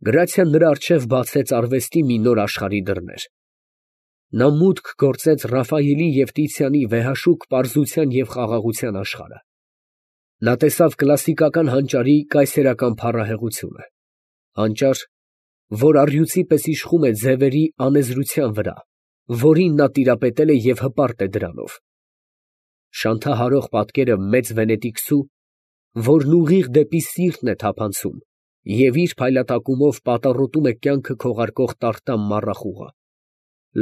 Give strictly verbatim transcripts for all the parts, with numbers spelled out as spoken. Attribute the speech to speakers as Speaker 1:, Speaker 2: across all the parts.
Speaker 1: Գրացիան նրա առջև բացեց արվեստի մի նոր աշխարհի դռներ. նա մուտք գործեց Ռաֆայելի և Տիցիանի վեհաշուկ պարզության և խաղաղության աշխարհը. նա տեսավ կլասիկական հանճարի կայսերական փառահեղությունը, հանճար, որ առյուծի պես իշխում է ձևերի անեզրության վրա, որին նա տիրապետել է և հպարտ է դրանով. շանթահարող պատկերը մեծ վենետիկցու, որն ուղիղ դեպի սիրտն է թափանցում և իր փայլատակումով պատառոտում է կյանքը քողարկող տարտամ մառախուղը,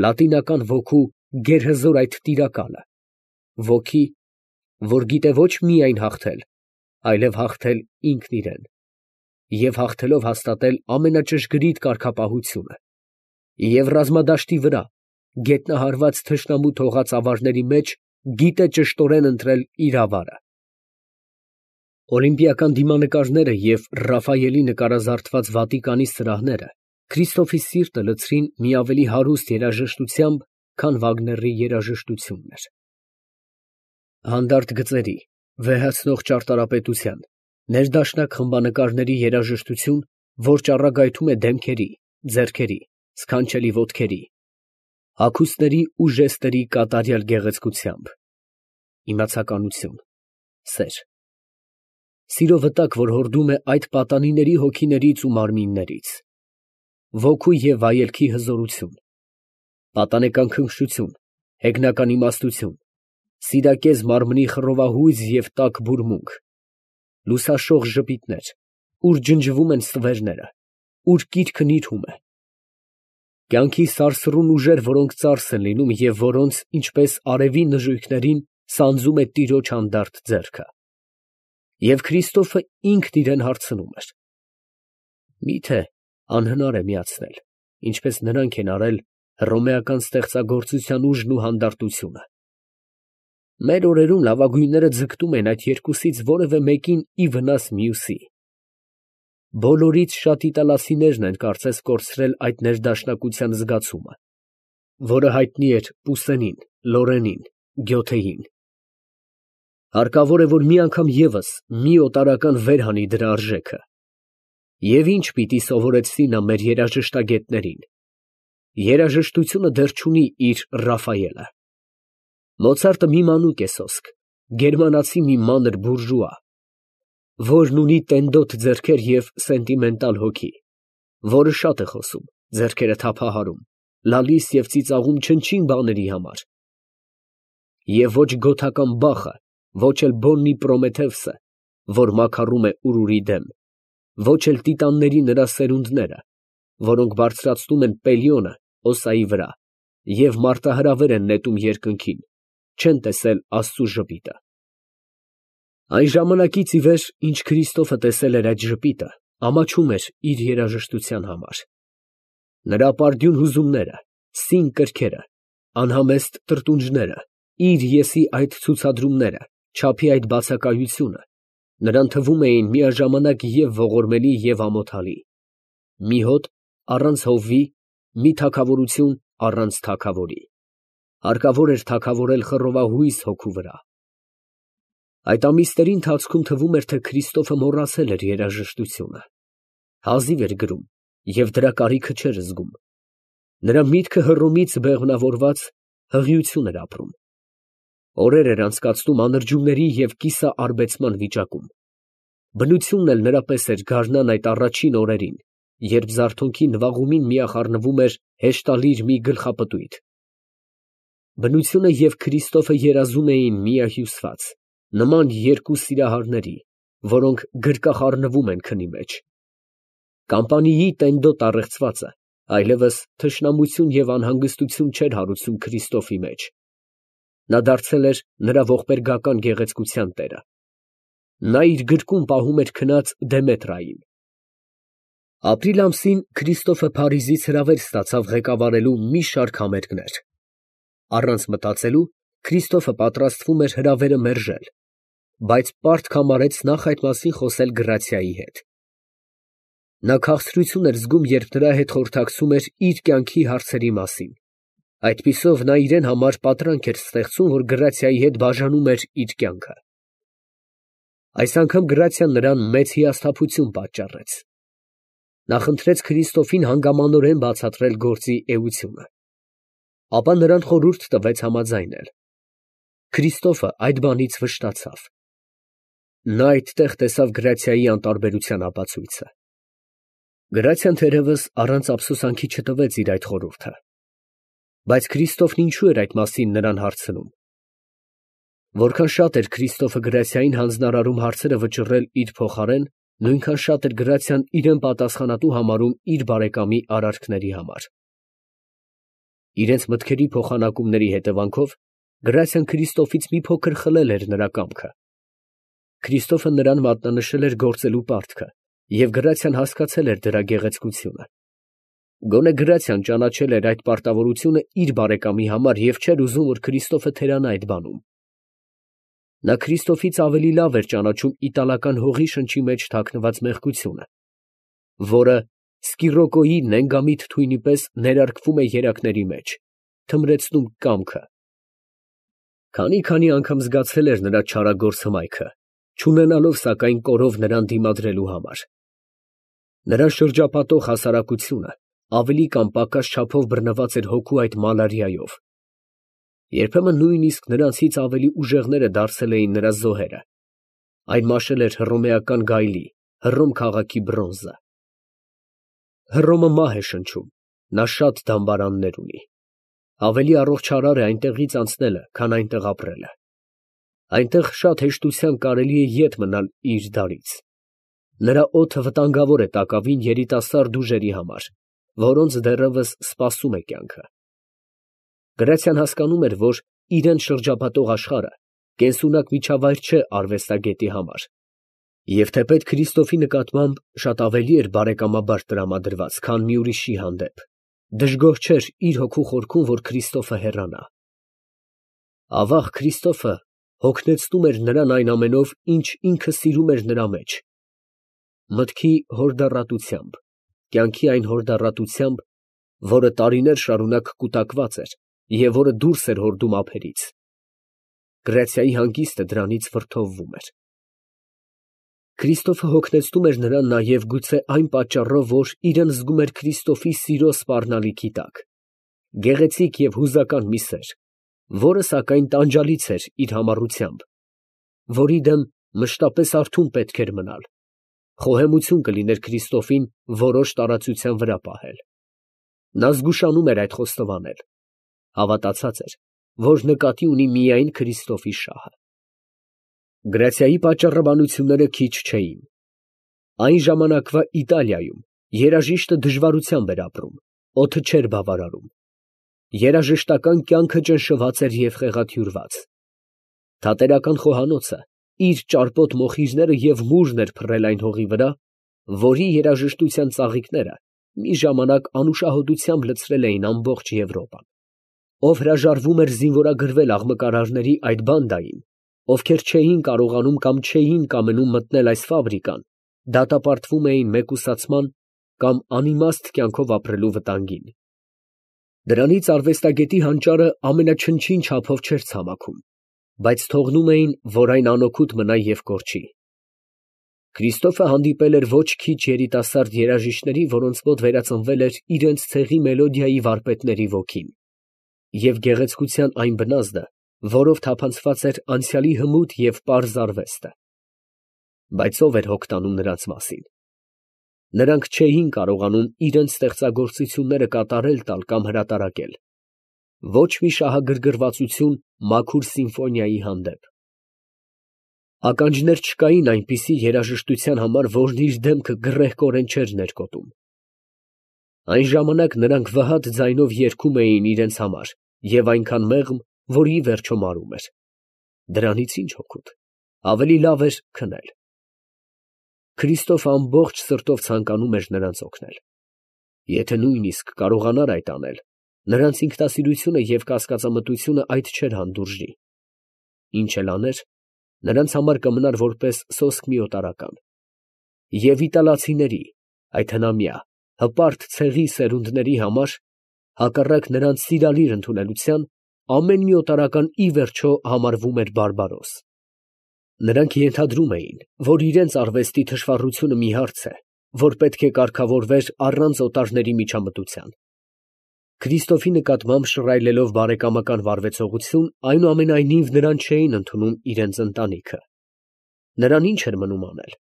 Speaker 1: լատինական ոգու գերհզոր այդ տիրակալը, ոգի, որ գիտե ոչ միայն հաղթել, այլև հաղթել ինքն իրան, և հաղթելով հաստատել ամենաճշգրիտ կարգապահությունը, և ռազմադաշտի վրա, գետնահարված թշնամու թողած ավարների մեջ, գիտե ճշտորեն ընտրել իր ավարը։ Օլիմպիական դիմանկարները և Ռաֆայելի նկարազարդված Վատիկանի սրահները Քրիստոֆի սիրտը լցրին մի ավելի հարուստ երաժշտությամբ, քան Վագների երաժշտությունն էր։ Հանդարտ գծերի, վեհացնող ճարտարապետության, ներդաշնակ խմբանկարների երաժշտություն, որ ճառագայթում է դեմքերի, ձեռքերի, սքանչելի ոտքերի, հագուստների ու ժեստերի կատարյալ գեղեցկությամբ, իմացականություն, սեր, սիրո վտակ, որ հորդում է այդ պատանիների հոգիներից ու մարմիններից, ոգու և վայելքի հզորություն, պատանեկան քնքշություն, հեգնական իմաստություն, սիրակեզ մարմնի խռովահույզ և տաք բուրմունք, լուսաշող ժպիտներ, ուր ջնջվում են ստվերները, ուր կիրքը նիրհում է, կյանքի սարսռուն ուժեր, որոնք ծարս են լինում և որոնց, ինչպես արևի նժույգներին, սանձում է տիրոջ հանդարտ ձեռքը։ Եվ Քրիստոֆը ինքն իրան հարցնում էր. «Մի՞թե անհնար է միացնել, ինչպես նրանք են արել, հռոմեական ստեղծագործության ուժն ու հանդարտությունը։ Մեր օրերում լավագույնները ձգտում են այդ երկուսից որևէ մեկին ի վնաս մյուսի։ Բոլորից շատ իտալացիներն են կարծես կորցրել այդ ներդաշնակության զգացումը, որը հայտնի էր Պուսենին, Լորենին, Գյոթեին։ Հարկավոր է, որ մի անգամ ևս մի օտարական վեր հանի դրա արժեքը։ Եվ ինչ պիտի սովորեցնի նա մեր երաժշտագետներին։ Երաժշտությունը դեռ չունի իր Ռաֆայելը։ Մոցարտը մի մանուկ է սոսկ, գերմանացի մի մանր բուրժուա, որն ունի տենդոտ ձեռքեր և սենտիմենտալ հոգի, որը շատ է խոսում, ձեռքերը թափահարում, լալիս և ծիծաղում չնչին բաների համար։ Եվ ոչ գոթական Բախը, ոչ էլ Բոննի Պրոմեթևսը, որ մաքարում է ուրուրի դեմ, ոչ էլ տիտանների նրա սերունդները, որոնք բարձրացնում են Պելիոնը Օսայի վրա և մարտահրավեր են նետում երկնքին, չեն տեսել Աստծու ժպիտը։ Այն ժամանակից ի վեր, ինչ Քրիստոֆը տեսել էր այդ ժպիտը, ամաչում էր իր երաժշտության համար։ Նրա ապարդյուն հուզումները, սին կրքերը, անհամեստ տրտունջները, իր եսի այդ ցուցադրումները, չափի այդ բացակայությունը նրան թվում էին միաժամանակ և ողորմելի և ամոթալի, մի հոտ առանց հովվի, մի թագավորություն առանց թագավորի, հարկավոր էր թագավորել խռովահույզ հոգու վրա։ Այդ ամիսների ընթացքում թվում էր, թե Քրիստոֆը մոռացել էր երաժշտությունը, հազիվ էր գրում և դրա կարիքը չէր զգում, նրա միտքը Հռոմից բեղմնավորված հղիություն էր ապրում, օրեր էր անցկացնում անրջումների և կիսաարբեցման վիճակում, բնությունն էլ նրա պես էր գարնան այդ առաջին օրերին, երբ զարթոնքի նվաղումին միախառնվում էր հեշտալիր մի գլխապտույտ։ Բնությունը և Քրիստոֆը երազում էին միահյուսված, նման երկու սիրահարների, որոնք գրկախառնվում են քնի մեջ։ Կամպանիի տենդոտ առեղծվածը այլևս թշնամություն և անհանգստություն չէր հարուցում Քրիստոֆի մեջ. նա դարձել էր նրա ողբերգական գեղեցկության տերը։ Նա իր գրկում պահում էր քնած Դեմետրային։ Ապրիլ ամսին Քրիստոֆը Փարիզից հրավեր ստացավ ղեկավարելու մի շարք համերգներ։ Առանց մտածելու Քրիստոֆը պատրաստվում էր հրավերը մերժել, բայց պարտք համարեց նախ այդ մասին խոսել Գրացիայի հետ։ Նա քաղցրություն էր զգում, երբ նրա հետ խորհրդակցում էր իր կյանքի հարցերի մասին, այդպիսով նա իրեն համար պատրանք էր ստեղծում, որ Գրացիայի հետ բաժանում էր իր կյանքը։ Այս անգամ Գրացիան նրան մեծ հիասթափություն պատճառեց։ Նա խնդրեց Քրիստոֆին հանգամանորեն բացատրել գործի էությունը, ապա նրան խորհուրդ տվեց համաձայնել։ Քրիստոֆը այդ բանից վշտացավ։ Նա այդտեղ տեսավ Գրացիայի անտարբերության ապացույցը։ Գրացիան թերևս առանց ափսոսանքի չտվեց իր այդ խորհուրդը, բայց Քրիստոֆն ինչու էր այդ մասին նրան հարցնում։ Որքան շատ էր Քրիստոֆը Գրացիային հանձնարարում հարցերը վճռել իր փոխարեն, նույնքան շատ էր Գրացիան իրեն պատասխանատու համարում իր բարեկամի արարքների համար։ Իրենց մտքերի փոխանակումների հետևանքով Գրացիան Քրիստոֆից մի փոքր խլել էր նրա կամքը։ Քրիստոֆը նրան մատնանշել էր գործելու պարտքը, և Գրացիան հասկացել էր դրա գեղեցկությունը։ Գոնե Գրացիան ճանաչել էր այդ պարտավորությունը իր բարեկամի համար և չէր ուզում, որ Քրիստոֆը թերանա այդ բանում։ Նա Քրիստոֆից ավելի լավ էր ճանաչում իտալական հողի շնչի մեջ թաքնված մեղքությունը, որը Սկիրոկոյի նենգամիտ թույնի պես ներարկվում է երակների մեջ, թմրեցնում կամքը։ Քանի֊քանի անգամ զգացել էր նրա չարագործ հմայքը, չունենալով սակայն կորով նրան դիմադրելու համար։ Նրան շրջապատող հասարակությունը ավելի կամ պակաս չափով բռնված էր հոգու այդ մալարիայով։ Երբեմն նույնիսկ նրանցից ավելի ուժեղները դարձել էին նրա զոհերը։ Այն մաշել էր հռոմեական գայլի, Հռոմ քաղաքի բրոնզը։ Հռոմը մահ է շնչում, նա շատ դամբարաններ ունի։ Ավելի առողջարար է այնտեղից անցնելը, քան այնտեղ ապրելը։ Այնտեղ շատ հեշտությամբ կարելի է ետ մնալ իր դարից։ Նրա օդը վտանգավոր է տակավին երիտասարդ ուժերի համար, որոնց դեռևս սպասում է կյանքը։ Գրացիան հասկանում էր, որ իրեն շրջապատող աշխարհը կենսունակ միջավայր չէ արվեստագետի համար, և թեպետ Քրիստոֆի նկատմամբ շատ ավելի էր բարեկամաբար տրամադրված, քան մի ուրիշի հանդեպ, դժգոհ չէր իր հոգու խորքում, որ Քրիստոֆը հեռանա։ Ավաղ, Քրիստոֆը հոգնեցնում էր նրան այն ամենով, ինչ ինքը սիրում էր նրա մեջ, մտքի հորդառատությամբ, կյանքի այն հորդառատությամբ, որը տարիներ շարունակ կուտակված էր և որը դուրս էր հորդում ափերից։ Գրացիայի հանգիստը դրանից վրդովվում էր։ Քրիստոֆը հոգնեցնում էր նրան նաև գուցե այն պատճառով, որ իրեն զգում էր Քրիստոֆի սիրո սպառնալիքի տակ, գեղեցիկ և հուզական մի սեր, որը սակայն տանջալից էր իր համառությամբ, որի դեմ մշտապես արթուն պետք էր մնալ, խոհեմություն կլիներ Քրիստոֆին որոշ տարածության վրա պահել։ Նա զգուշանում էր այդ խոստովանել, հավատացած էր, որ նկատի ունի միայն Քրիստոֆի շահը։ Գրացիայի պատճառաբանությունները քիչ չէին։ Այն ժամանակվա Իտալիայում երաժիշտը դժվարությամբ էր ապրում, օդը չէր բավարարում։ Երաժշտական կյանքը ճնշված էր և խեղաթյուրված։ Թատերական խոհանոցը իր ճարպոտ մոխիրները և մուրն էր փռել այն հողի վրա, որի երաժշտության ծաղիկները մի ժամանակ անուշահոտությամբ լցրել էին ամբողջ Եվրոպան։ Ով հրաժարվում էր զինվորագրվել աղմկարարների այդ բանդային, ովքեր չէին կարողանում կամ չէին կամենում մտնել այս ֆաբրիկան, դատապարտվում էին մեկուսացման կամ անիմաստ կյանքով ապրելու վտանգին։ Դրանից արվեստագետի հանճարը ամենաչնչին չափով չէր ցամաքում, բայց թողնում էին, որ այն անօգուտ մնա և կորչի։ Քրիստոֆը հանդիպել էր ոչ քիչ երիտասարդ երաժիշտների, որոնց մոտ վերածնվել էր իրենց ցեղի մելոդիայի վարպետների ոգին և գեղեցկության այն բնազդը, որով թափանցված էր անցյալի հմուտ և պարզ արվեստը։ Բայց ո՞վ էր հոգ տանում նրանց մասին։ Նրանք չէին կարողանում իրենց ստեղծագործությունները կատարել տալ կամ հրատարակել, ոչ մի շահագրգռվածություն մաքուր սիմֆոնիայի հանդեպ։ Ականջներ չկային այնպիսի երաժշտության համար, որն իր դեմքը գռեհկորեն չէր ներկոտում։ Այն ժամանակ նրանք վհատ ձայնով երգում էին իրենց համար և այնքան մեղմ, որ ի վերջո մարում էր։ Դրանից ի՞նչ օգուտ, ավելի լավ էր քնել։ Քրիստոֆը ամբողջ սրտով ցանկանում էր նրանց օգնել։ Եթե նույնիսկ կարողանար այդ անել, նրանց ինքնասիրությունը և կասկածամտությունը այդ չէր հանդուրժի։ Ինչ էլ աներ, նրանց համար կմնար որպես սոսկ մի օտարական։ Եվ իտալացիների, այդ հնամյա, հպարտ ցեղի սերունդների համար, հակառակ նրանց սիրալիր ընդունելության, ամեն մի օտարական ի վերջո համարվում էր բարբարոս։ Նրանք ենթադրում էին, որ իրենց արվեստի թշվառությունը մի հարց է, որ պետք է կարգավորվեր առանց օտարների միջամտության։ Քրիստոֆի նկատմամբ շռայլելով բարեկամական վարվեցողություն, այնուամենայնիվ նրան չէին ընդունում իրենց ընտանիքը։ Նրան ինչ էր մնում անել։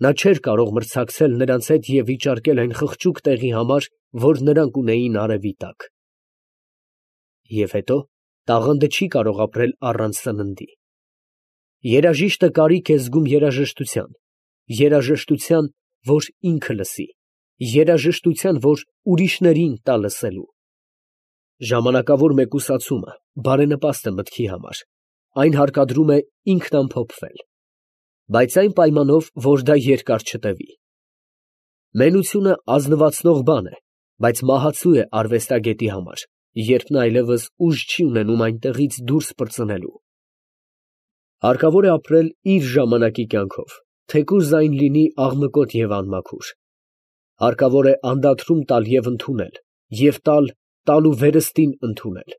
Speaker 1: Նա չէր կարող մրցակցել նրանց հետ և վիճարկել այն խղճուկ տեղի համար, որ նրանք ունեին արևի տակ։ Եվ հետո տաղանդը չի կարող ապրել առանց սննդի։ Երաժիշտը կարիք է զգում երաժշտության, երաժշտության, որ ինքը լսի, երաժշտության, որ ուրիշներին տա լսելու։ Ժամանակավոր մեկուսացումը բարենպաստ է մտքի համար, այն հարկադրում է ինքն ամփոփվել, բայց այն պայմանով, որ դա երկար չտևի։ Մենությունը ազնվացնող բան է, բայց մահացու է արվեստագետի համար, երբ նա այլևս ուժ չի ունենում այնտեղից դուրս պրծնելու։ Հարկավոր է ապրել իր ժամանակի կյանքով, թեկուզ այն լինի աղմկոտ և անմաքուր։ Հարկավոր է անդադրում տալ և ընդունել, և տալ, տալու վերստին ընդունել։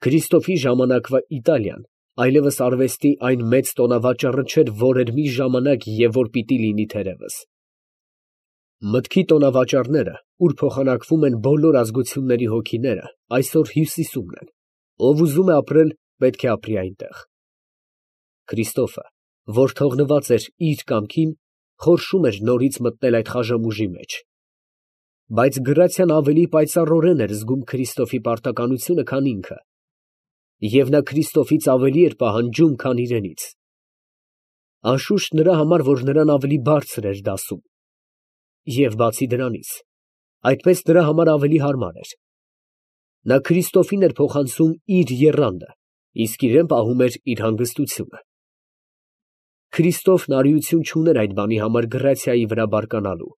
Speaker 1: Քրիստոֆի ժամանակվա Իտալիան այլևս արվեստի այն մեծ տոնավաճառը չէր, որ էր մի ժամանակ և որ պիտի լինի թերևս։ Մտքի տոնավաճառները, ուր փոխանակվում են բոլոր ազգությունների հոգիները, այսօր հյուսիսումն են, ով ուզում է ապրել, պետք է ապրի այնտեղ։ Քրիստոֆը, որ թողնված էր իր կամքին, խորշում էր նորից մտնել այդ խաժամուժի մեջ։ Բայց գրացիան ավելի պայծառորեն էր զգում Քրիստոֆի պարտականությունը, քան ինքը, և նա Քրիստոֆից ավելի էր պահանջում, քան իրենից։ Անշուշտ նրա համար, որ նրան ավելի բարձր էր դասում, և բացի դրանից, այդպես նրա համար ավելի հարմար էր։ Նա Քրիստոֆին էր փոխանցում իր եռանդը, իսկ իրեն պահում էր իր հանգստությունը։ Քրիստոֆն արիություն չուներ այդ բանի համար գրացիայի վրա բարկանալու։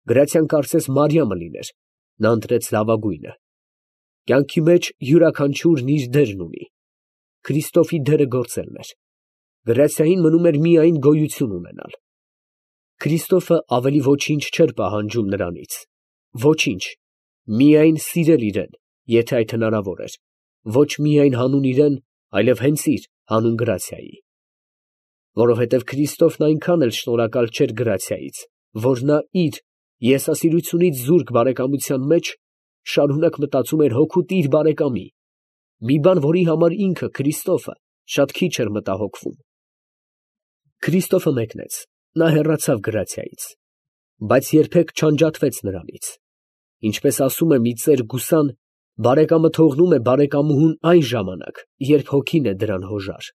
Speaker 1: Գրացիան կարծես Մարիամը լիներ, նա ընտրեց լավագույնը։ Կյանքի մեջ յուրաքանչյուրն իր դերն ունի։ Քրիստոֆի դերը գործելն էր։ Գրացիային մնում էր միայն գոյություն ունենալ։ Քրիստոֆը ավելի ոչինչ չէր պահանջում նրանից։ Ոչինչ, միայն սիրել իրեն, եթե այդ հնարավոր էր, ոչ միայն հանուն իրեն, այլև հենց իր հանուն գրացիայի։ Որովհետև Քրիստոֆն այնքան էլ շնորհակալ չէր գրացիայից, որ նա իր եսասիրությունից զուրկ բարեկամության մեջ շարունակ մտածում էր հօգուտ իր բարեկամի, մի բան, որի համար ինքը, Քրիստոֆը, շատ քիչ էր մտահոգվում։ Քրիստոֆը մեկնեց, նա հեռացավ գրացիայից, բայց երբեք չանջատվեց նրանից։ Ինչպես ասում է մի ծեր գուսան, բարեկամը թողնում է բարեկամուհուն այն ժամանակ, երբ հոգին է դրան հոժար։